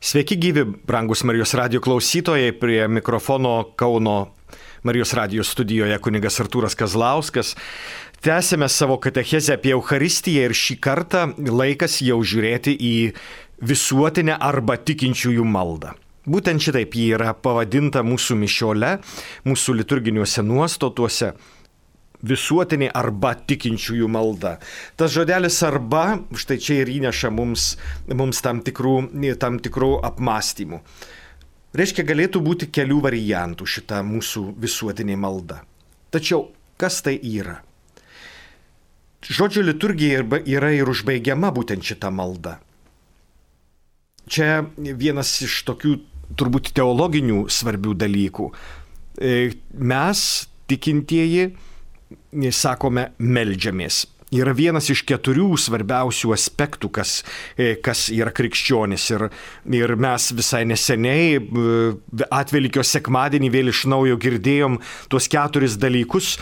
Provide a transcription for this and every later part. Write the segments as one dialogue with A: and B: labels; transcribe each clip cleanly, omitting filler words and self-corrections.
A: Sveiki gyvi, brangus Marijos radijo klausytojai, prie mikrofono Kauno Marijos radijo studijoje kunigas Artūras Kazlauskas. Tęsėme savo katechezę apie Eucharistiją ir šį kartą laikas jau žiūrėti į visuotinę arba tikinčiųjų maldą. Būtent šitaip ji yra pavadinta mūsų mišiole, mūsų liturginiuose nuostatuose. Visuotinė arba tikinčiųjų malda. Tas žodelis arba, štai čia ir įneša mums tam tikrų apmąstymų. Reiškia, galėtų būti kelių variantų šita mūsų visuotinė malda. Tačiau, kas tai yra? Žodžio liturgija yra ir užbaigiama būtent šita malda. Čia vienas iš tokių turbūt teologinių svarbių dalykų. Mes, tikintieji, sakome, meldžiamės. Yra vienas iš 4 svarbiausių aspektų, kas yra krikščionis. Ir mes visai neseniai Atvelykio sekmadienį vėl iš naujo girdėjom tuos 4 dalykus,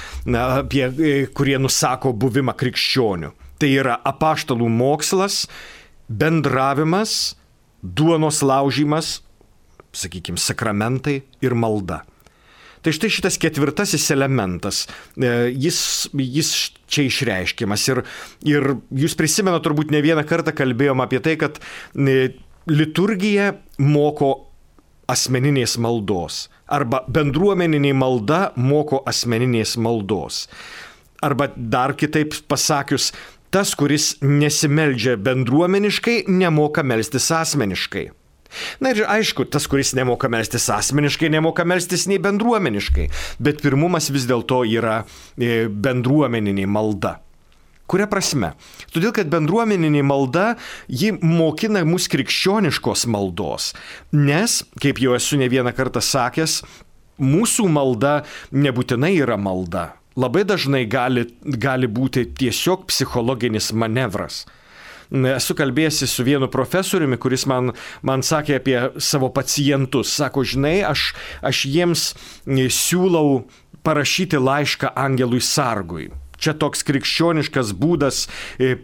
A: kurie nusako buvimą krikščioniu. Tai yra apaštalų mokslas, bendravimas, duonos laužymas, sakykime, sakramentai ir malda. Tai štai šitas 4 elementas, jis čia išreiškiamas. Ir jūs prisimenat, turbūt ne vieną kartą kalbėjom apie tai, kad liturgija moko asmeninės maldos. Arba bendruomeninė malda moko asmeninės maldos. Arba dar kitaip pasakius, tas, kuris nesimeldžia bendruomeniškai, nemoka melstis asmeniškai. Na ir aišku, tas, kuris nemoka melstis asmeniškai, nemoka melstis nei bendruomeniškai, bet pirmumas vis dėlto yra bendruomeninė malda. Kuria prasme? Todėl, kad bendruomeninė malda, ji mokina mus krikščioniškos maldos, nes, kaip jau esu ne vieną kartą sakęs, mūsų malda nebūtinai yra malda. Labai dažnai gali būti tiesiog psichologinis manevras. Esu kalbėjęs su vienu profesoriumi, kuris man sakė apie savo pacientus. Sako, žinai, aš jiems siūlau parašyti laišką angelui sargui. Čia toks krikščioniškas būdas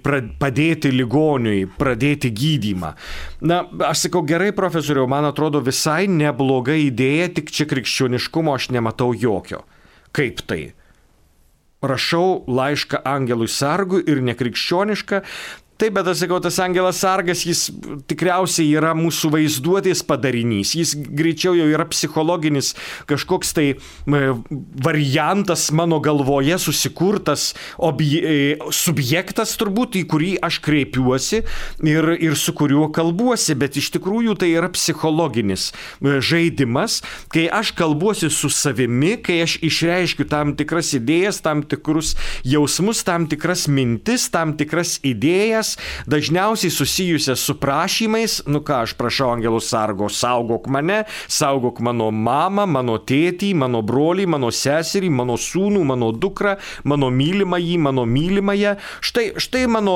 A: padėti ligoniui, pradėti gydymą. Na, aš sakau, gerai, profesoriau, man atrodo visai nebloga idėja, tik čia krikščioniškumo aš nematau jokio. Kaip tai? Rašau laišką angelui sargui ir nekrikščionišką. Taip, bet aš sakau, tas angelas sargas, jis tikriausiai yra mūsų vaizduotės padarinys. Jis greičiau jau yra psichologinis kažkoks tai variantas mano galvoje susikurtas subjektas turbūt, į kurį aš kreipiuosi ir su kuriuo kalbuosi, bet iš tikrųjų tai yra psichologinis žaidimas, kai aš kalbuosi su savimi, kai aš išreiškiu tam tikras idėjas, tam tikrus jausmus, tam tikras mintis, tam tikras idėjas, dažniausiai susijusias su prašymais, aš prašau angelų sargo, saugok mane, saugok mano mamą, mano tėtį, mano brolį, mano seserį, mano sūnų, mano dukrą, mano mylimąjį, mano mylimąją. Štai mano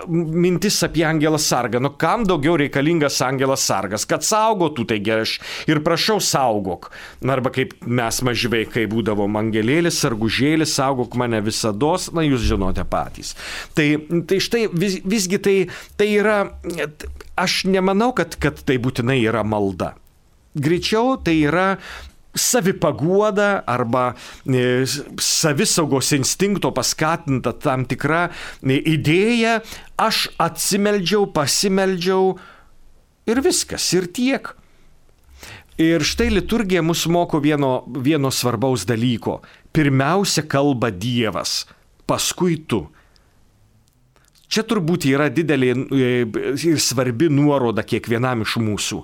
A: mintis apie angelą sargą. Kam daugiau reikalingas angelas sargas? Kad saugotų, taigi aš ir prašau saugok. Arba kaip mes maži vaikai būdavom, angelėlis, sargužėlis, saugok mane visados, jūs žinote patys. Tai štai visgi tai yra, aš nemanau, kad tai būtinai yra malda. Greičiau tai yra savipaguoda arba savisaugos instinkto paskatinta tam tikra idėja, aš atsimeldžiau, pasimeldžiau ir viskas, ir tiek. Ir štai liturgija mus moko vieno svarbaus dalyko. Pirmiausia kalba Dievas, paskui tu. Čia turbūt yra didelė ir svarbi nuoroda kiekvienam iš mūsų.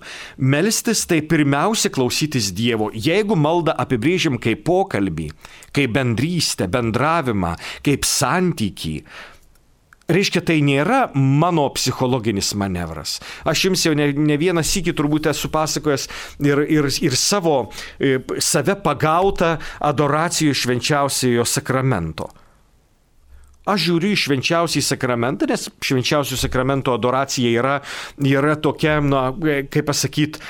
A: Melstis tai pirmiausia klausytis Dievo. Jeigu maldą apibrėžiam kaip pokalbį, kaip bendrystę, bendravimą, kaip santykį, reiškia, tai nėra mano psichologinis manevras. Aš jums jau ne vieną sykį turbūt esu pasakojęs ir save pagautą adoracijų švenčiausiojo sakramento. Aš žiūriu į švenčiausiąjį sakramentą, nes švenčiausiojo sakramento adoracija yra tokia, kaip pasakyti,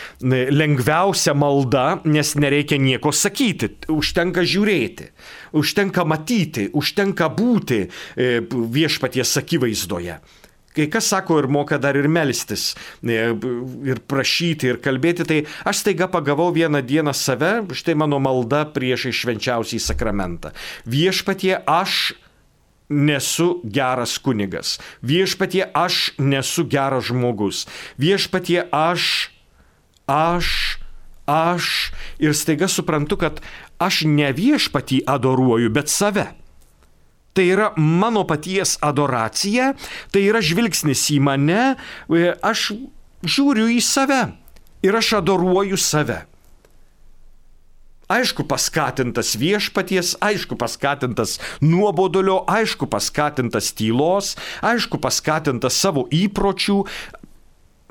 A: lengviausia malda, nes nereikia nieko sakyti, užtenka žiūrėti, užtenka matyti, užtenka būti viešpaties akivaizdoje. kai kas sako ir moka dar ir melstis, ir prašyti, ir kalbėti, tai aš staiga pagavau vieną dieną save, štai mano malda prieš švenčiausiąjį sakramentą. Viešpatie, aš nesu geras kunigas. Viešpatie, aš nesu geras žmogus. Viešpatie, aš. Ir staiga suprantu, kad aš ne viešpatį adoruoju, bet save. Tai yra mano paties adoracija, tai yra žvilgsnis į mane, aš žiūriu į save ir aš adoruoju save. Aišku, paskatintas viešpaties, aišku, paskatintas nuobodulio, aišku, paskatintas tylos, aišku, paskatintas savo įpročių,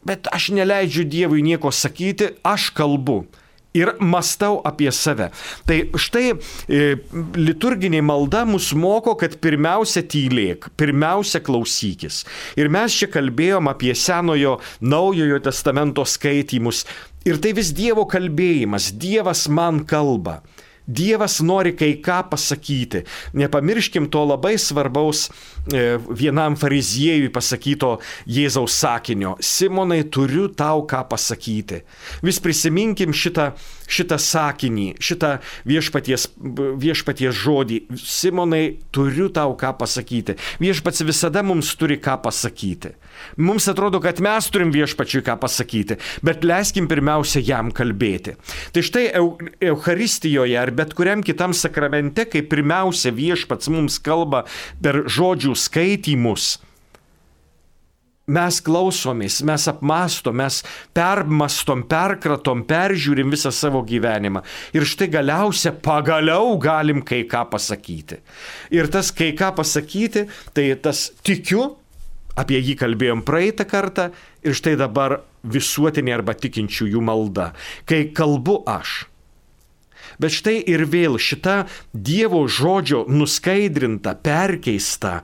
A: bet aš neleidžiu Dievui nieko sakyti, aš kalbu ir mąstau apie save. Tai štai liturginė malda mus moko, kad pirmiausia tylėk, pirmiausia klausykis. Ir mes čia kalbėjom apie Senojo, Naujojo testamento skaitymus. Ir tai vis Dievo kalbėjimas, Dievas man kalba. Dievas nori kai ką pasakyti. Nepamirškim to labai svarbaus vienam fariziejui pasakyto Jėzaus sakinio. Simonai, turiu tau ką pasakyti. Vis prisiminkim šitą sakinį, šitą viešpaties žodį. Simonai, turiu tau ką pasakyti. Viešpats visada mums turi ką pasakyti. Mums atrodo, kad mes turim viešpačiui ką pasakyti, bet leiskim pirmiausia jam kalbėti. Tai štai Eucharistijoje ar bet kuriam kitam sakramente, kai pirmiausia viešpats mums kalba per žodžių skaitymus, mes klausomės, mes apmąstom, mes permastom, perkratom, peržiūrim visą savo gyvenimą. Ir štai pagaliau galim kai ką pasakyti. Ir tas kai ką pasakyti, tai tas tikiu, apie jį kalbėjom praeitą kartą, ir štai dabar visuotinė arba tikinčiųjų malda, kai kalbu aš. Bet štai ir vėl šita Dievo žodžio nuskaidrinta, perkeista,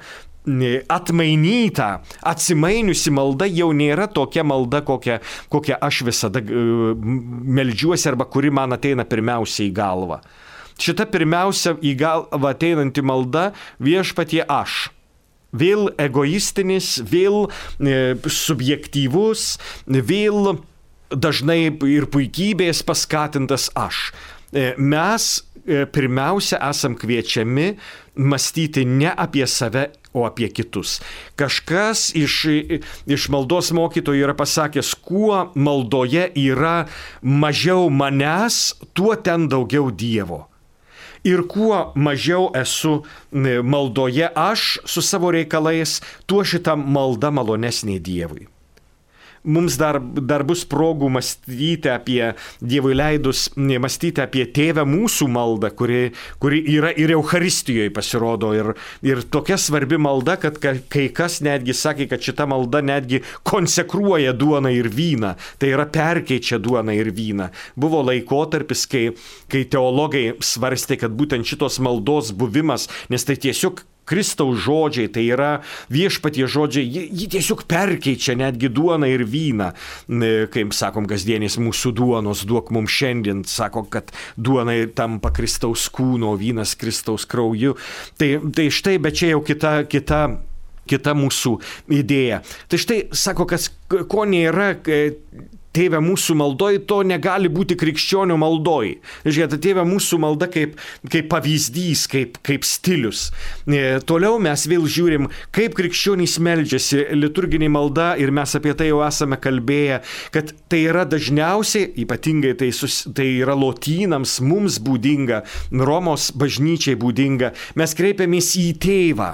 A: atmainyta, atsimainiusi malda jau nėra tokia malda, kokią aš visada meldžiuosi arba kuri man ateina pirmiausia į galvą. Šita pirmiausia į galvą ateinanti malda viešpatie aš. Vėl egoistinis, vėl subjektyvus, vėl dažnai ir puikybės paskatintas aš. Mes pirmiausia esam kviečiami mąstyti ne apie save, o apie kitus. Kažkas iš maldos mokytojų yra pasakęs, kuo maldoje yra mažiau manęs, tuo ten daugiau Dievo. Ir kuo mažiau esu maldoje aš su savo reikalais, tuo šita malda malonesnė Dievui. Mums dar bus progų mąstyti apie Dievui leidus, mąstyti apie Tėvę mūsų maldą, kuri yra ir Eucharistijoje pasirodo. Ir tokia svarbi malda, kad kai kas netgi sakė, kad šita malda netgi konsekruoja duoną ir vyną. Tai yra perkeičia duoną ir vyną. Buvo laikotarpis, kai teologai svarstė, kad būtent šitos maldos buvimas, nes tai tiesiog Kristaus žodžiai, tai yra viešpatie žodžiai, jį tiesiog perkeičia netgi duoną ir vyną. Kaip sakom, kasdienės mūsų duonos duok mums šiandien, sako, kad duona tampa Kristaus kūno, vynas Kristaus krauju. Tai štai, bet čia jau kita mūsų idėja. Tai štai, sako, ko nėra Tėve mūsų maldoj, to negali būti krikščionių maldoj. Žiūrėk, Tėve mūsų malda kaip pavyzdys, kaip stilius. Toliau mes vėl žiūrim, kaip krikščionys meldžiasi liturginė malda, ir mes apie tai jau esame kalbėję, kad tai yra dažniausiai, ypatingai tai yra lotynams, mums būdinga, Romos bažnyčiai būdinga, mes kreipiamės į Tėvą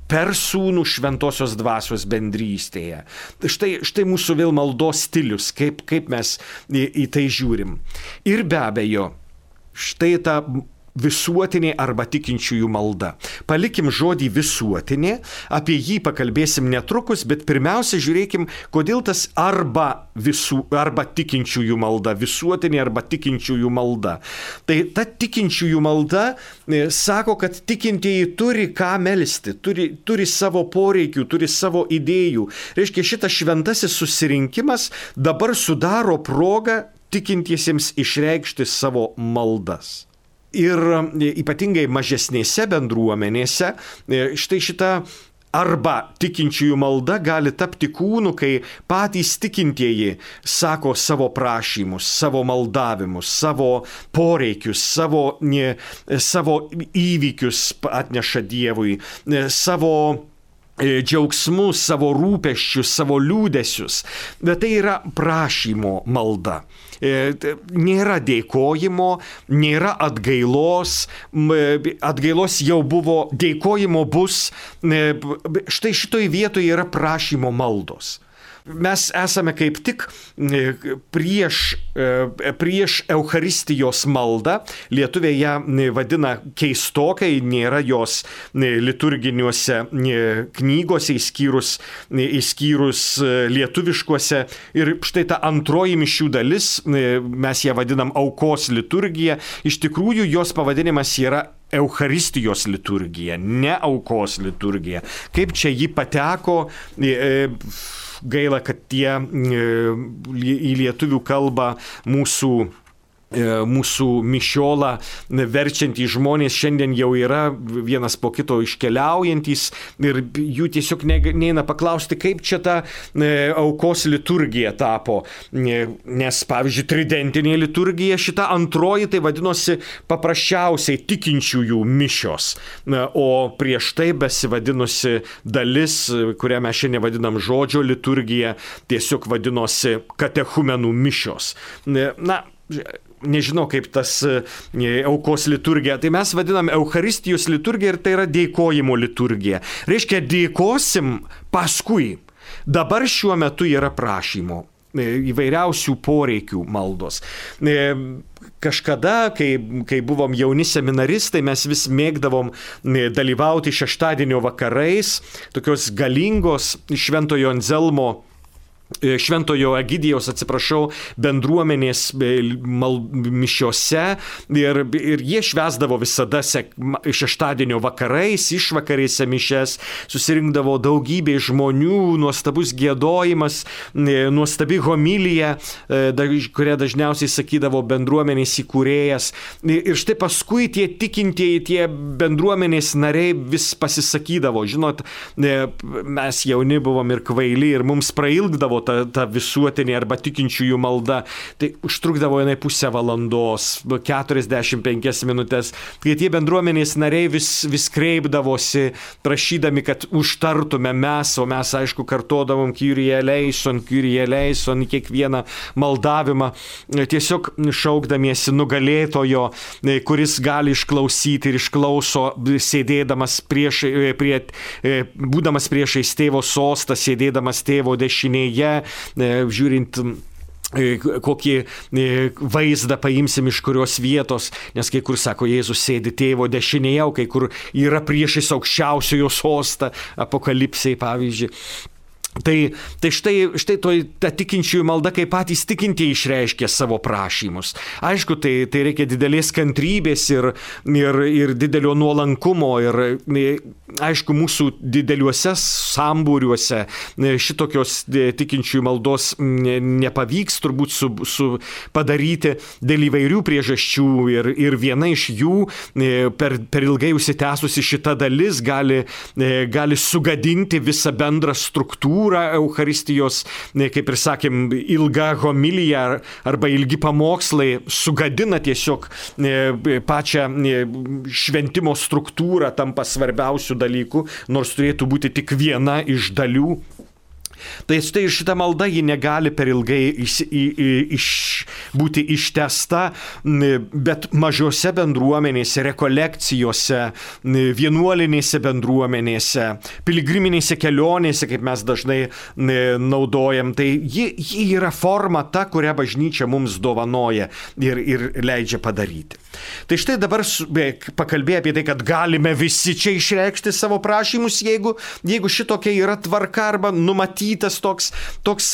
A: per Sūnų šventosios dvasios bendrystėje. Štai mūsų vėl maldos stilius, kaip mes į tai žiūrim. Ir be abejo, štai ta visuotinė arba tikinčiųjų malda. Palikim žodį visuotinė, apie jį pakalbėsim netrukus, bet pirmiausia žiūrėkim, kodėl tas arba tikinčiųjų malda, visuotinė arba tikinčiųjų malda. Tai ta tikinčiųjų malda sako, kad tikintieji turi ką melsti, turi savo poreikių, turi savo idėjų. Reiškia, šitas šventasis susirinkimas dabar sudaro progą tikintiesiems išreikšti savo maldas. Ir ypatingai mažesnėse bendruomenėse štai šita Arba tikinčiųjų malda gali tapti kūnu, kai patys tikintieji sako savo prašymus, savo maldavimus, savo poreikius, savo įvykius atneša Dievui, savo džiaugsmus, savo rūpesčius, savo liūdesius. Bet tai yra prašymo malda. Nėra dėkojimo, nėra atgailos. Atgailos jau buvo, dėkojimo bus. Štai šitoj vietoje yra prašymo maldos. Mes esame kaip tik prieš Eucharistijos maldą. Lietuviai ją vadina keistokai, nėra jos liturginiuose knygose, išskyrus lietuviškuose. Ir štai ta antroji mišių dalis, mes ją vadinam aukos liturgija. Iš tikrųjų, jos pavadinimas yra Eucharistijos liturgija, ne aukos liturgija. Kaip čia ji pateko? Gaila, kad tie į lietuvių kalbą mūsų mišiolą verčiantys žmonės šiandien jau yra vienas po kito iškeliaujantys ir jų tiesiog neina paklausti, kaip čia ta aukos liturgija tapo. Nes, pavyzdžiui, tridentinė liturgija, šita antroji, tai vadinosi paprasčiausiai tikinčiųjų mišios. O prieš tai besivadinusi dalis, kurią mes šiandien vadinam žodžio liturgija, tiesiog vadinosi katechumenų mišios. Nežinau, kaip tas aukos liturgija. Tai mes vadinam Eucharistijos liturgija ir tai yra dėkojimo liturgija. Reiškia, dėkosim paskui. Dabar šiuo metu yra prašymo, įvairiausių poreikių maldos. Kažkada, kai buvom jauni seminaristai, mes vis mėgdavom dalyvauti šeštadienio vakarais, tokios galingos Šventojo Egidijaus, bendruomenės mišiose ir jie švęsdavo visada šeštadienio vakarais, išvakarėse mišes, susirinkdavo daugybė žmonių, nuostabus giedojimas, nuostabi homilija, kurią dažniausiai sakydavo bendruomenės įkūrėjas. Ir štai paskui tie tikintieji, tie bendruomenės nariai vis pasisakydavo. Žinot, mes jauni buvom ir kvaili ir mums prailgdavo ta visuotinė arba tikinčiųjų malda. Tai užtrukdavo jinai pusę valandos, 45 minutės. Kai tie bendruomenės nariai vis kreipdavosi, prašydami, kad užtartume mes, o mes, aišku, kartodavom Kyrie eleison į kiekvieną maldavimą, tiesiog šaukdamiesi nugalėtojo, kuris gali išklausyti ir išklauso, sėdėdamas būdamas priešais tėvo sostą, sėdėdamas tėvo dešinėje, žiūrint kokį vaizdą paimsim iš kurios vietos, nes kai kur sako, Jėzus sėdi tėvo dešinėje, o kai kur yra priešais aukščiausiojo sostą, Apokalipsėje pavyzdžiui. Tai štai ta tikinčiųjų malda, kai patys tikintieji išreiškia savo prašymus. Aišku, tai reikia didelės kantrybės ir didelio nuolankumo ir aišku, mūsų dideliuose sambūriuose šitokios tikinčiųjų maldos nepavyks turbūt padaryti dėl įvairių priežasčių ir viena iš jų per ilgai užsitęsusi šita dalis gali sugadinti visą bendrą struktūrą Eucharistijos, kaip ir sakėm, ilga homilija arba ilgi pamokslai sugadina tiesiog pačią šventimo struktūrą, tampa svarbiausių dalykų, nors turėtų būti tik viena iš dalių. Tai štai šita malda ji negali per ilgai būti ištęsta, bet mažose bendruomenėse, rekolekcijose, vienuolinėse bendruomenėse, piligriminėse kelionėse, kaip mes dažnai naudojam, tai ji yra forma ta, kurią bažnyčia mums dovanoja ir leidžia padaryti. Tai štai dabar pakalbėjome apie tai, kad galime visi čia išreikšti savo prašymus, jeigu šitokia yra tvarka arba numatytas toks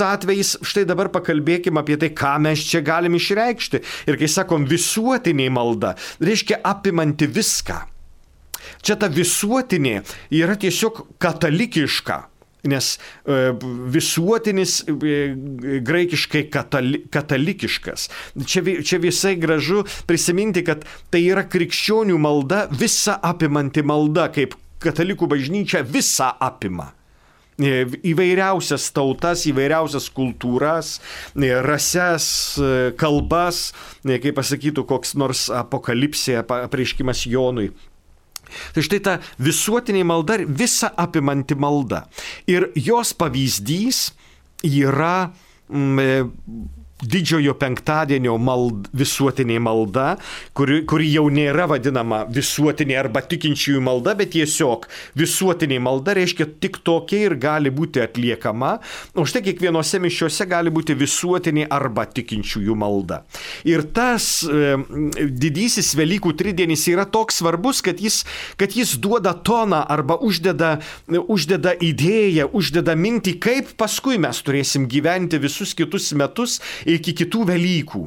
A: atvejis. Štai dabar pakalbėkime apie tai, ką mes čia galim išreikšti. Ir kai sakom visuotinė malda, reiškia apimanti viską. Čia ta visuotinė yra tiesiog katalikiška. Nes visuotinis graikiškai katalikiškas. Čia visai gražu prisiminti, kad tai yra krikščionių malda, visa apimanti malda, kaip katalikų bažnyčia visą apima. Įvairiausias tautas, įvairiausias kultūras, rases, kalbas, kaip pasakytų koks nors apokalipsė, apreiškimas Jonui. Tai štai ta visuotinė malda, visa apimanti malda. Ir jos pavyzdys yra Didžiojo penktadienio visuotinė malda, kuri jau nėra vadinama visuotinė arba tikinčiųjų malda, bet tiesiog visuotinė malda reiškia tik tokia ir gali būti atliekama, o štai kiekvienose mišiuose gali būti visuotinė arba tikinčiųjų malda. Ir tas didysis Velykų tridienis yra toks svarbus, kad jis duoda toną arba uždeda idėją, uždeda mintį, kaip paskui mes turėsim gyventi visus kitus metus iki kitų Velykų.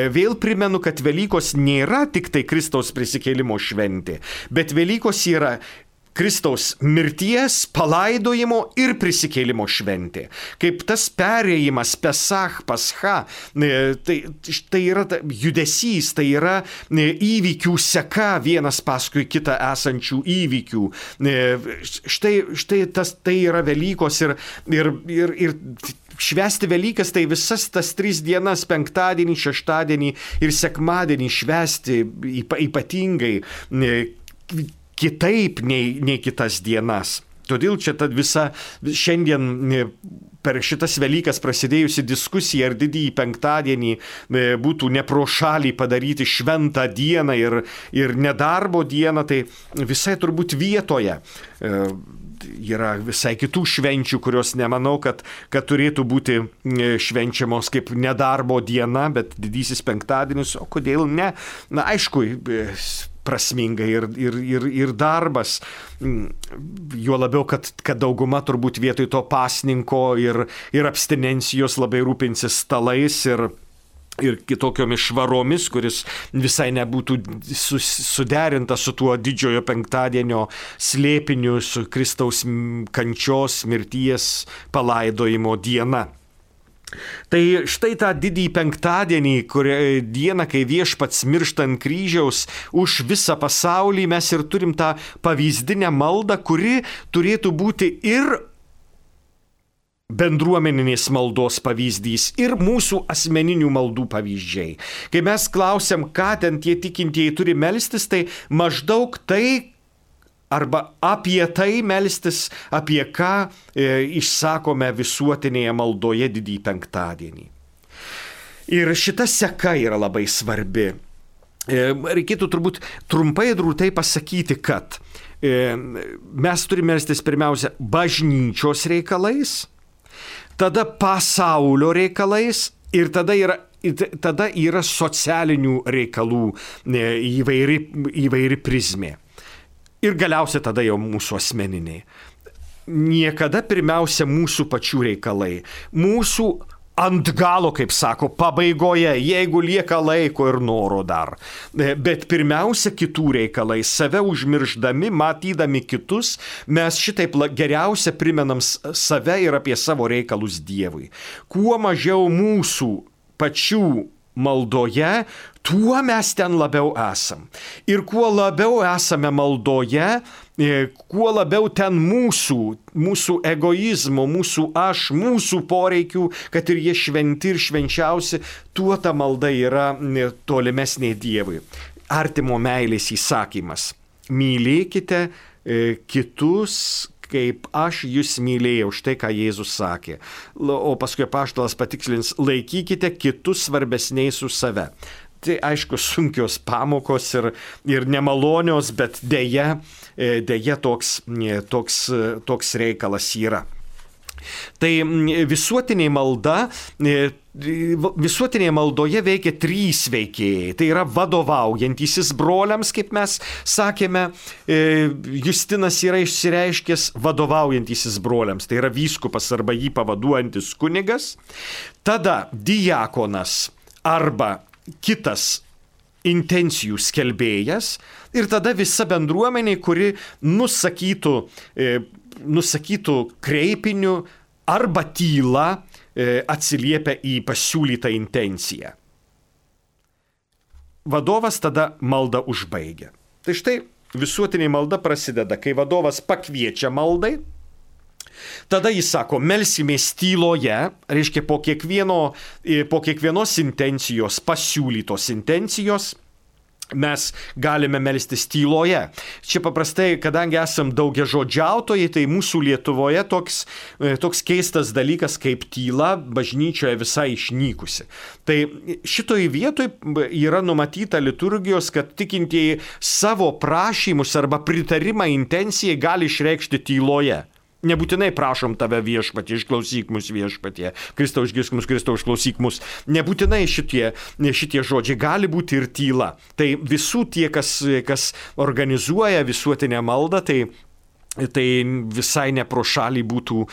A: Vėl primenu, kad Velykos nėra tik tai Kristaus prisikėlimo šventė, bet Velykos yra Kristaus mirties, palaidojimo ir prisikėlimo šventė. Kaip tas perėjimas Pesach, Pascha, tai yra judesys, tai yra įvykių seka vienas paskui kitą esančių įvykių. Štai tai yra Velykos ir švęsti Velykas tai visas tas 3 dienas, penktadienį, šeštadienį ir sekmadienį švęsti ypatingai kitaip nei kitas dienas. Todėl čia ta visa šiandien per šitas Velykas prasidėjusi diskusija, ar didįjį penktadienį būtų ne pro šalį padaryti šventą dieną ir nedarbo dieną, tai visai turbūt vietoje. Yra visai kitų švenčių, kurios nemanau, kad turėtų būti švenčiamos kaip nedarbo diena, bet didysis penktadienis, o kodėl ne? Na, aišku, prasminga ir darbas. Juo labiau, kad dauguma turbūt vietoj to pasninko ir abstinencijos labai rūpinsis stalais ir kitokiomis švaromis, kuris visai nebūtų suderinta su tuo didžiojo penktadienio slėpiniu, su Kristaus kančios, mirties, palaidojimo diena. Tai štai tą didįjį penktadienį, dieną, kai Viešpats miršta ant kryžiaus už visą pasaulį, mes ir turim tą pavyzdinę maldą, kuri turėtų būti ir bendruomeninės maldos pavyzdys ir mūsų asmeninių maldų pavyzdžiai. Kai mes klausiam, ką ten tie tikintieji turi melstis, tai maždaug tai arba apie tai melstis, apie ką išsakome visuotinėje maldoje didįjį penktadienį. Ir šita seka yra labai svarbi. Reikėtų turbūt trumpai ir drūtai pasakyti, kad mes turime melstis pirmiausia bažnyčios reikalais, tada pasaulio reikalais ir tada yra socialinių reikalų įvairi prizmė. Ir galiausiai tada jau mūsų asmeniniai. Niekada pirmiausia mūsų pačių reikalai. Mūsų ant galo, kaip sako, pabaigoje, jeigu lieka laiko ir noro dar. Bet pirmiausia kitų reikalai, save užmirždami, matydami kitus, mes šitaip geriausia primenam save ir apie savo reikalus Dievui. Kuo mažiau mūsų pačių maldoje, tuo mes ten labiau esam. Ir kuo labiau esame maldoje, kuo labiau ten mūsų egoizmo, mūsų aš, mūsų poreikių, kad ir jie šventi ir švenčiausi, tuo ta malda yra tolimesnė Dievui. Artimo meilės įsakymas. Mylėkite kitus, kaip aš jūs mylėjau, štai ką Jėzus sakė. O paskui apaštalas patikslins, laikykite kitus svarbesniais už save. Tai aišku, sunkios pamokos ir nemalonios, bet deja toks reikalas yra. Tai visuotinė maldoje veikia 3 veikėjai. Tai yra vadovaujantysis broliams, kaip mes sakėme, Justinas yra išsireiškęs vadovaujantysis broliams. Tai yra vyskupas arba jį pavaduojantis kunigas. Tada diakonas arba kitas intencijų skelbėjas ir tada visa bendruomenė, kuri nusakytų kreipiniu arba tyla atsiliepia į pasiūlytą intenciją. Vadovas tada maldą užbaigia. Tai štai visuotinė malda prasideda, kai vadovas pakviečia maldai. Tada jis sako, melsimės tyloje, reiškia po kiekvienos intencijos, pasiūlytos intencijos, mes galime melstis tyloje. Čia paprastai, kadangi esam daugiažodžiautojai, tai mūsų Lietuvoje toks keistas dalykas kaip tyla bažnyčioje visai išnykusi. Tai šitoj vietoj yra numatyta liturgijos, kad tikintieji savo prašymus arba pritarimą intencijai gali išreikšti tyloje. Nebūtinai prašom tave viešpatie, išklausyk mus viešpatie, Kristau išgirsk mus, Kristau išklausyk mus. Nebūtinai šitie žodžiai, gali būti ir tyla. Tai visų tie, kas organizuoja visuotinę maldą, tai visai ne pro šalį būtų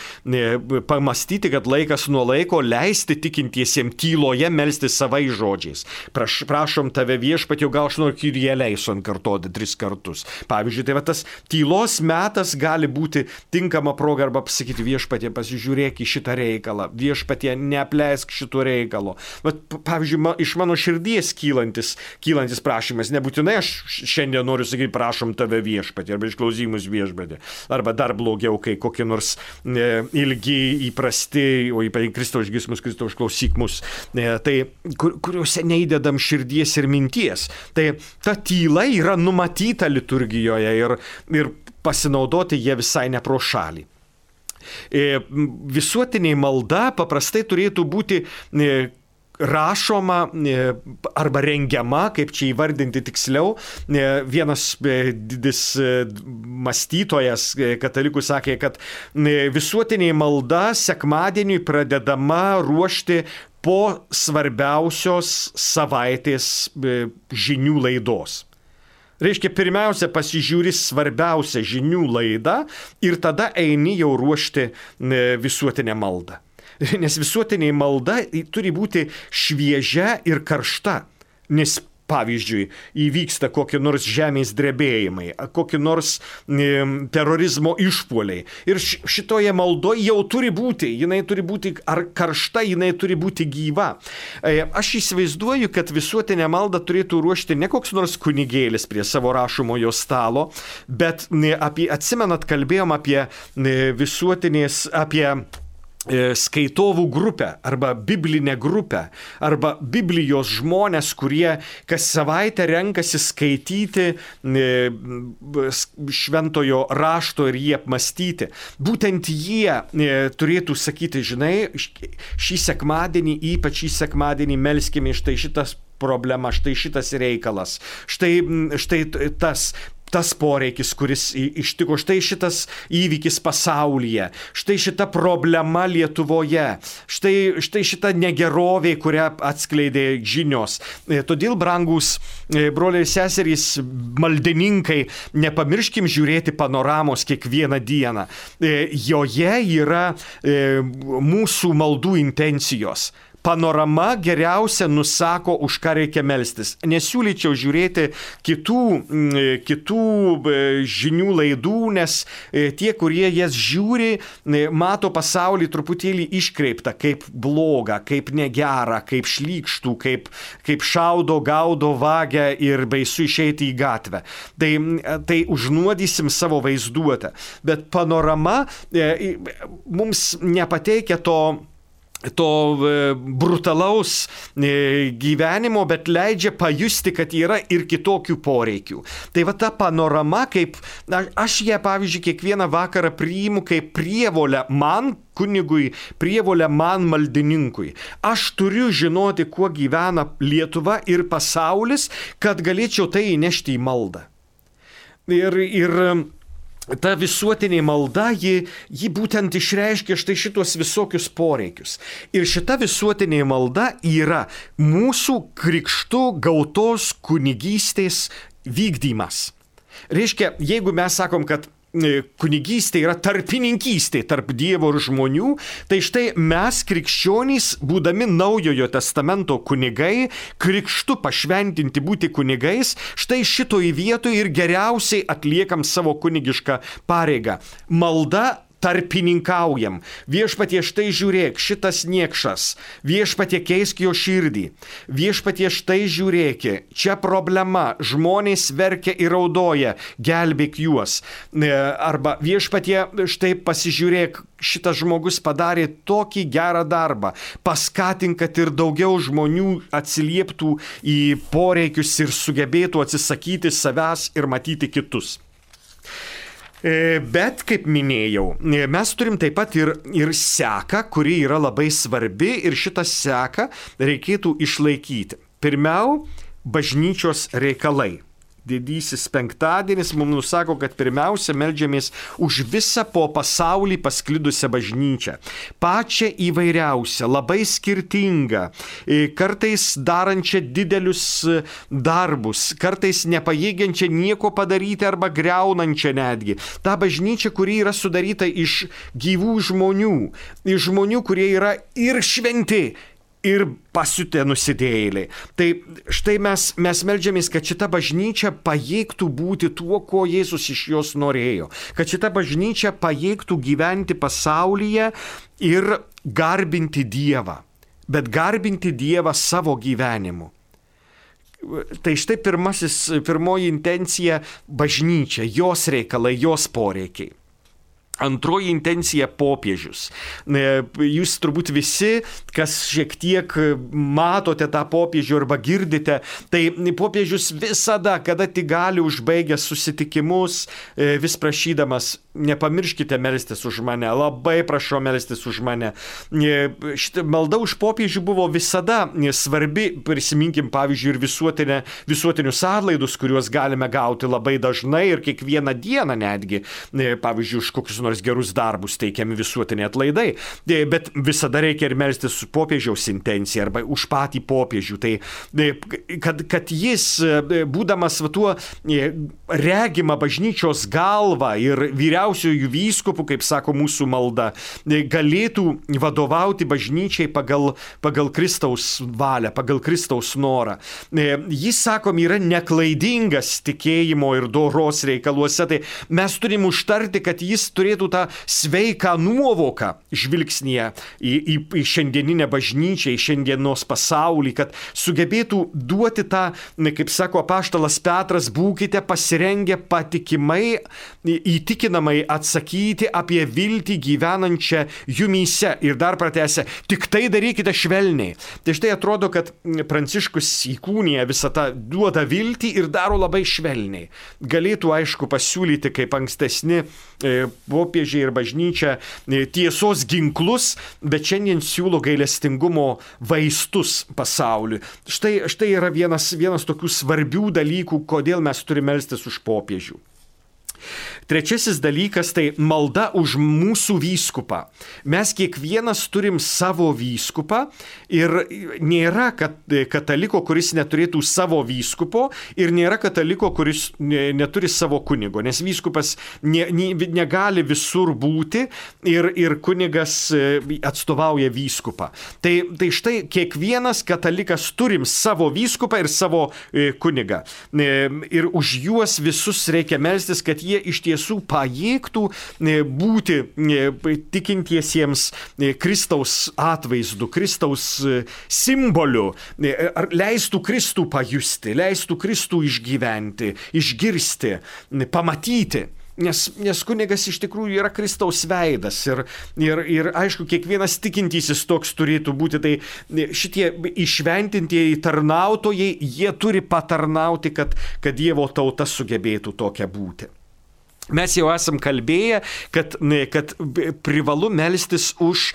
A: pamastyti, kad laikas nuo laiko leisti tikintiesiems tyloje melsti savais žodžiais. Prašom tave viešpatie, gal aš noriu Kyrie eleison kartoti 3 kartus. Pavyzdžiui, tai va tas tylos metas gali būti tinkama proga arba pasakyti viešpatie, pasižiūrėk į šitą reikalą, viešpatie, neapleisk šito reikalo. Bet, pavyzdžiui, iš mano širdies kylantis prašymas, nebūtinai aš šiandien noriu sakyti prašom tave viešpatie arba išklausymus viešpatie. Arba dar blogiau, kai kokie nors ilgi, įprasti, o ypač Kristau išgirsk mus, Kristau išklausyk mus, tai kuriuose neįdedam širdies ir minties. Tai ta tyla yra numatyta liturgijoje ir pasinaudoti jie visai ne pro šalį. Visuotinė malda paprastai turėtų būti rašoma arba rengiama, kaip čia įvardinti tiksliau. Vienas didis mąstytojas katalikų sakė, kad visuotinė malda sekmadieniui pradedama ruošti po svarbiausios savaitės žinių laidos. Reiškia, pirmiausia pasižiūri svarbiausią žinių laidą ir tada eini jau ruošti visuotinę maldą. Nes visuotinė malda turi būti šviežia ir karšta, nes pavyzdžiui įvyksta kokie nors žemės drebėjimai, kokie nors terorizmo išpuoliai. Ir šitoje maldoje jau turi būti, jinai turi būti ar karšta, jinai turi būti gyva. Aš įsivaizduoju, kad visuotinę maldą turėtų ruošti ne koks nors kunigėlis prie savo rašomojo stalo, bet atsimenat, kalbėjom apie visuotinės, apie skaitovų grupę arba biblinę grupę arba Biblijos žmonės, kurie kas savaitę renkasi skaityti šventojo rašto ir jį apmastyti. Būtent jie turėtų sakyti, žinai, šį sekmadienį, ypač šį sekmadienį melskime štai šitas problema, štai šitas reikalas, štai tas poreikis, kuris ištiko, štai šitas įvykis pasaulyje, štai šita problema Lietuvoje, štai šita negerovė, kurią atskleidė žinios. Todėl, brangus broliai ir seserys, maldininkai, nepamirškim žiūrėti panoramos kiekvieną dieną. Joje yra mūsų maldų intencijos. Panorama geriausia nusako, už ką reikia melstis. Nesiūlyčiau žiūrėti kitų žinių laidų, nes tie, kurie jas žiūri, mato pasaulį truputėlį iškreiptą, kaip blogą, kaip negerą, kaip šlykštų, kaip šaudo, gaudo, vagia ir baisu išeiti į gatvę. Tai užnuodysim savo vaizduotę. Bet panorama mums nepateikia to brutalaus gyvenimo, bet leidžia pajusti, kad yra ir kitokių poreikių. Tai va ta panorama, kaip aš ją, pavyzdžiui, kiekvieną vakarą priimu kaip prievolę man, kunigui, prievolę man, maldininkui. Aš turiu žinoti, kuo gyvena Lietuva ir pasaulis, kad galėčiau tai įnešti į maldą. Ir ta visuotinė malda, ji būtent išreiškia štai šitos visokius poreikius. Ir šita visuotinė malda yra mūsų krikštu gautos kunigystės vykdymas. Reiškia, jeigu mes sakom, kad kunigystė yra tarpininkystė tarp Dievo ir žmonių, tai štai mes krikščionys, būdami Naujojo testamento kunigai, krikštu pašventinti būti kunigais, štai šitoj vietoj ir geriausiai atliekam savo kunigišką pareigą. Malda tarpininkaujam. Viešpatie, štai žiūrėk, šitas niekšas. Viešpatie, keisk jo širdį. Viešpatie, štai žiūrėk, čia problema, žmonės verkia ir raudoja, gelbėk juos. Arba viešpatie, štai pasižiūrėk, šitas žmogus padarė tokį gerą darbą. Paskatink, kad ir daugiau žmonių atsilieptų į poreikius ir sugebėtų atsisakyti savęs ir matyti kitus. Bet, kaip minėjau, mes turim taip pat ir seką, kuri yra labai svarbi ir šitą seką reikėtų išlaikyti. Pirmiau, bažnyčios reikalai. Didysis penktadienis mums nusako, kad pirmiausia meldžiamės už visą po pasaulį pasklidusią bažnyčią. Pačią įvairiausią, labai skirtingą, kartais darančią didelius darbus, kartais nepajėgiančią nieko padaryti arba greunančią netgi. Ta bažnyčia, kuri yra sudaryta iš gyvų žmonių, iš žmonių, kurie yra ir šventi, ir pasiutę nusidėjėliai. Tai štai mes meldžiamės, kad šita bažnyčia pajėgtų būti tuo, ko Jėzus iš jos norėjo. Kad šita bažnyčia pajėgtų gyventi pasaulyje ir garbinti Dievą. Bet garbinti Dievą savo gyvenimu. Tai štai pirmoji intencija - bažnyčia, jos reikalai, jos poreikiai. Antroji intencija - popiežius. Jūs turbūt visi, kas šiek tiek matote tą popiežių arba girdite, tai popiežius visada, kada tik gali, užbaigęs susitikimus, vis prašydamas, nepamirškite melstis už mane, labai prašau melstis už mane. Šitą maldą už popiežių buvo visada svarbi, prisiminkim pavyzdžiui ir visuotinius atlaidus, kuriuos galime gauti labai dažnai ir kiekvieną dieną netgi, pavyzdžiui, už kokius nors gerus darbus teikiami visuotiniai atlaidai, bet visada reikia ir melstis su popiežiaus intencija arba už patį popiežių. Tai kad jis, būdamas tuo regima bažnyčios galva ir vyriausiųjų vyskupų, kaip sako mūsų malda, galėtų vadovauti bažnyčiai pagal Kristaus valią, pagal Kristaus norą. Jis, sakom, yra neklaidingas tikėjimo ir doros reikaluose, tai mes turim užtarti, kad jis turėtų tą sveiką nuovoką žvilgsnėje į šiandieninę bažnyčią, į šiandienos pasaulį, kad sugebėtų duoti tą, kaip sako apaštalas Petras, būkite pasirengę patikimai, įtikinamai atsakyti apie viltį gyvenančią jumyse. Ir dar pratęsia, tik tai darykite švelniai. Tai štai atrodo, kad Pranciškus įkūnija visą tą, duoda viltį ir daro labai švelniai. Galėtų, aišku, pasiūlyti kaip ankstesni popiežiai ir bažnyčia tiesos ginklus, bet šiandien siūlo gailestingumo vaistus pasauliui. Štai yra vienas tokių svarbių dalykų, kodėl mes turime melstis už popiežių. Trečiasis dalykas - tai malda už mūsų vyskupą. Mes kiekvienas turim savo vyskupą ir nėra kataliko, kuris neturėtų savo vyskupo ir nėra kataliko, kuris neturi savo kunigo, nes vyskupas negali visur būti ir kunigas atstovauja vyskupą. Tai štai kiekvienas katalikas turim savo vyskupą ir savo kunigą. Ir už juos visus reikia melstis, kad jie iš tiesų pajėgtų būti tikintiesiems Kristaus atvaizdu, Kristaus simboliu, leistų Kristų pajusti, leistų Kristų išgyventi, išgirsti, pamatyti. Nes kunigas iš tikrųjų yra Kristaus veidas ir aišku, kiekvienas tikintysis toks turėtų būti. Tai šitie įšventintieji tarnautojai, jie turi patarnauti, kad Dievo tauta sugebėtų tokia būti. Mes jau esam kalbėję, kad privalu melstis už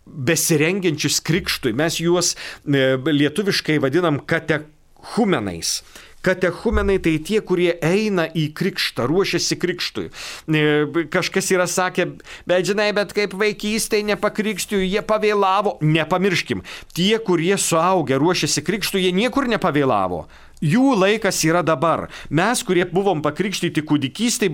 A: besirengiančius krikštui. Mes juos lietuviškai vadinam katechumenais. Katechumenai tai tie, kurie eina į krikštą, ruošiasi krikštui. Kažkas yra sakę, bet žinai, bet kaip vaikystėje nepakrikštijo, jie pavėlavo. Nepamirškim, tie, kurie suaugę ruošiasi krikštui, jie niekur nepavėlavo. Jų laikas yra dabar. Mes, kurie buvom pakrikštyti kūdikystėje,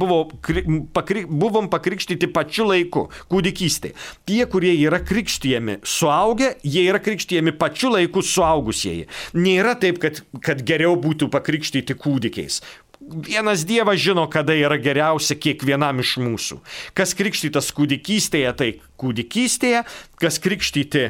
A: buvom pakrikštyti pačiu laiku kūdikystėje. Tie, kurie yra krikštijami suaugę, jie yra krikštijami pačiu laiku suaugusieji. Nėra taip, kad geriau būtų pakrikštyti kūdikiais. vienas Dievas žino, kada yra geriausia kiekvienam iš mūsų. Kas krikštytas kūdikystėje, tai kūdikystėje, kas krikštyti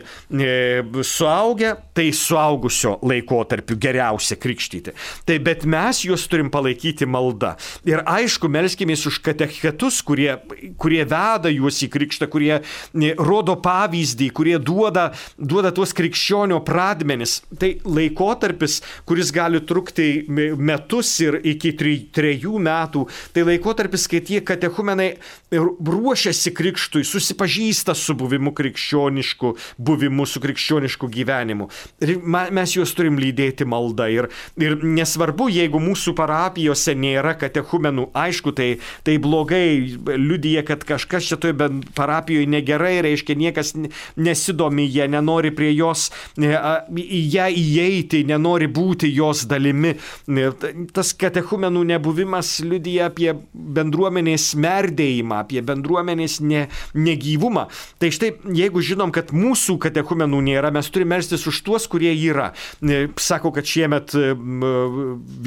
A: suaugę, tai suaugusio laikotarpiu geriausia krikštyti. Tai bet mes juos turim palaikyti malda. Ir aišku, melskimės už katechetus, kurie veda juos į krikštą, kurie rodo pavyzdį, kurie duoda tuos krikščionio pradmenis. Tai laikotarpis, kuris gali trukti metus ir iki 3 metų, tai laikotarpis, kai tie katechumenai ruošiasi krikštui, susipažįsta su buvimu krikščionišku, buvimu su krikščionišku gyvenimu. Ir mes juos turim lydėti malda. Ir nesvarbu, jeigu mūsų parapijose nėra katechumenų, aišku, tai blogai liudija, kad kažkas čia toje parapijoje negerai, reiškia, niekas nesidomi, jie nenori prie jos į ją įeiti, nenori būti jos dalimi. Tas katechumenų nebuvimas liudija apie bendruomenės merdėjimą, apie bendruomenės negyvumą. Tai štai, jeigu žinom, kad mūsų katechumenų nėra, mes turime melstis už tuos, kurie yra. Sako, kad šiemet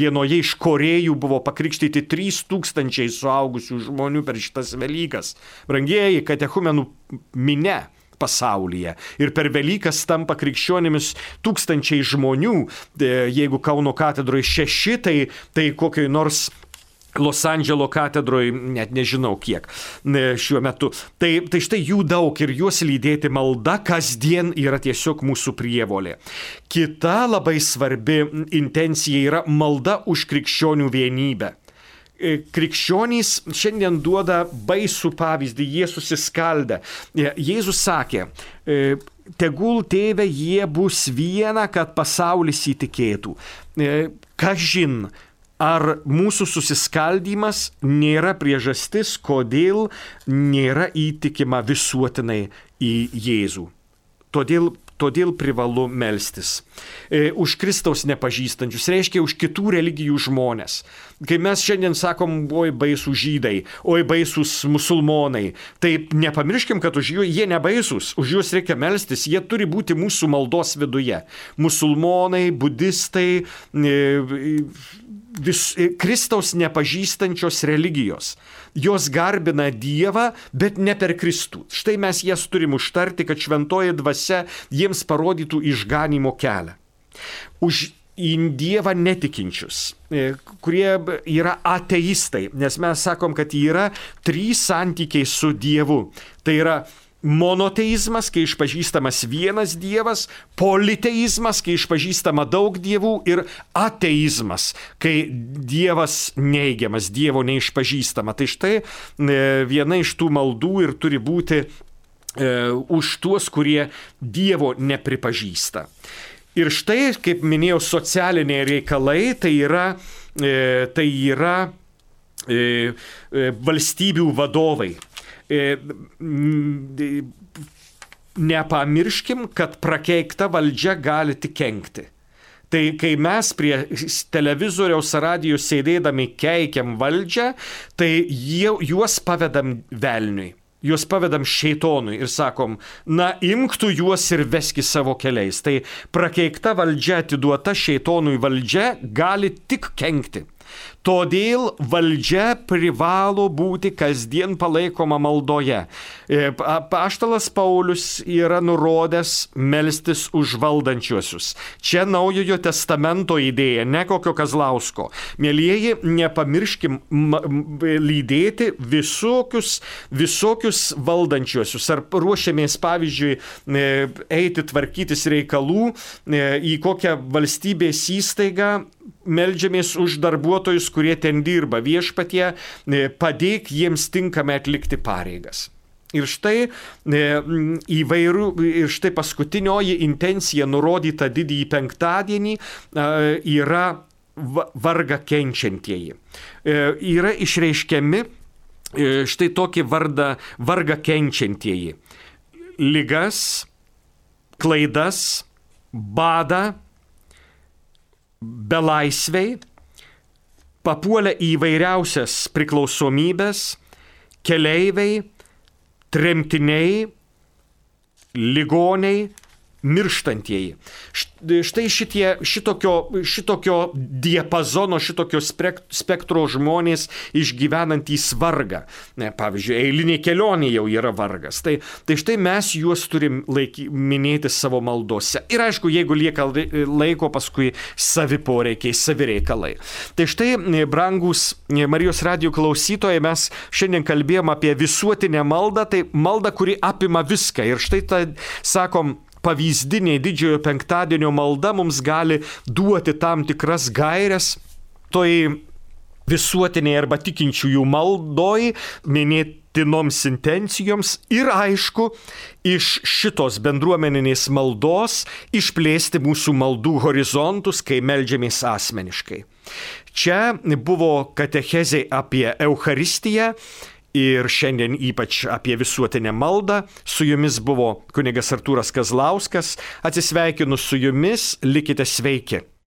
A: vienoje iš Korėjų buvo pakrikštyti 3000 suaugusių žmonių per šitas Velykas. Brangieji, katechumenų minia pasaulyje. Ir per Velykas tampa krikščionimis 1000 žmonių. Jeigu Kauno katedroje 6, tai kokioj nors Los Andželo katedroje, net nežinau kiek šiuo metu. Tai štai jų daug ir juos lydėti malda kasdien yra tiesiog mūsų prievolė. Kita labai svarbi intencija yra malda už krikščionių vienybę. Krikščionys šiandien duoda baisų pavyzdį, jie susiskaldę. Jėzus sakė, tegul tėve jie bus viena, kad pasaulis įtikėtų. Kažin, ar mūsų susiskaldymas nėra priežastis, kodėl nėra įtikima visuotinai į Jėzų. Todėl privalu melstis. Už Kristaus nepažįstančius, reiškia už kitų religijų žmonės. Kai mes šiandien sakom, oi baisų žydai, oi baisūs musulmonai, tai nepamirškim, kad už jie nebaisūs, už juos reikia melstis, jie turi būti mūsų maldos viduje. Musulmonai, budistai, Kristaus nepažįstančios religijos. Jos garbina Dievą, bet ne per Kristų. Štai mes jas turim užtarti, kad šventoji dvasia jiems parodytų išganymo kelią. Už į Dievą netikinčius, kurie yra ateistai, nes mes sakom, kad yra 3 santykiai su Dievu. Tai yra monoteizmas, kai išpažįstamas vienas Dievas, politeizmas, kai išpažįstama daug dievų, ir ateizmas, kai Dievas neigiamas, Dievo neišpažįstama. Tai štai viena iš tų maldų ir turi būti už tuos, kurie Dievo nepripažįsta. Ir štai, kaip minėjau, socialiniai reikalai, tai yra valstybių vadovai. Nepamirškim, kad prakeikta valdžia gali tik kenkti. Tai kai mes prie televizoriaus radijo sėdėdami keikiam valdžią, tai juos pavedam velniui. Juos pavedam šeitonui ir sakom, na imk tu juos ir veski savo keliais. Tai prakeikta valdžia, atiduota šeitonui valdžia gali tik kenkti. Todėl valdžia privalo būti kasdien palaikoma maldoje. Apaštalas Paulius yra nurodęs melstis už valdančiuosius. Čia Naujojo testamento idėja, ne kokio Kazlausko. Mielieji, nepamirškim lydėti visokius valdančiuosius. Ar ruošiamės, pavyzdžiui, eiti tvarkytis reikalų į kokią valstybės įstaigą, meldžiamės už darbuotojus, kurie ten dirba. Viešpatie, padėk jiems tinkamai atlikti pareigas. Ir štai štai paskutinioji intencija nurodyta didįjį penktadienį yra vargą kenčiantieji. Yra išreiškiami štai tokį vargą kenčiantieji. Ligas, klaidas, badą, belaisviai, papuolę į įvairiausias priklausomybės, keleiviai, tremtiniai, ligoniai, mirštantieji. Štai šitokio diapazono, šitokio spektro žmonės išgyvenantys vargą. Pavyzdžiui, eilinė kelionė jau yra vargas. Tai štai mes juos turim minėti savo maldose. Ir aišku, jeigu lieka laiko, paskui savi poreikiai, savi reikalai. Tai štai, brangus Marijos radijo klausytojai, mes šiandien kalbėjom apie visuotinę maldą, tai malda, kuri apima viską. Ir štai ta, sakom, pavyzdinė didžiojo penktadienio malda mums gali duoti tam tikras gairias toj visuotiniai arba tikinčiųjų maldoj, minėtinoms intencijoms ir aišku, iš šitos bendruomeninės maldos išplėsti mūsų maldų horizontus, kai meldžiamės asmeniškai. Čia buvo katechezė apie Eucharistiją ir šiandien ypač apie visuotinę maldą. Su jumis buvo kunigas Artūras Kazlauskas. Atsisveikinu su jumis, likite sveiki.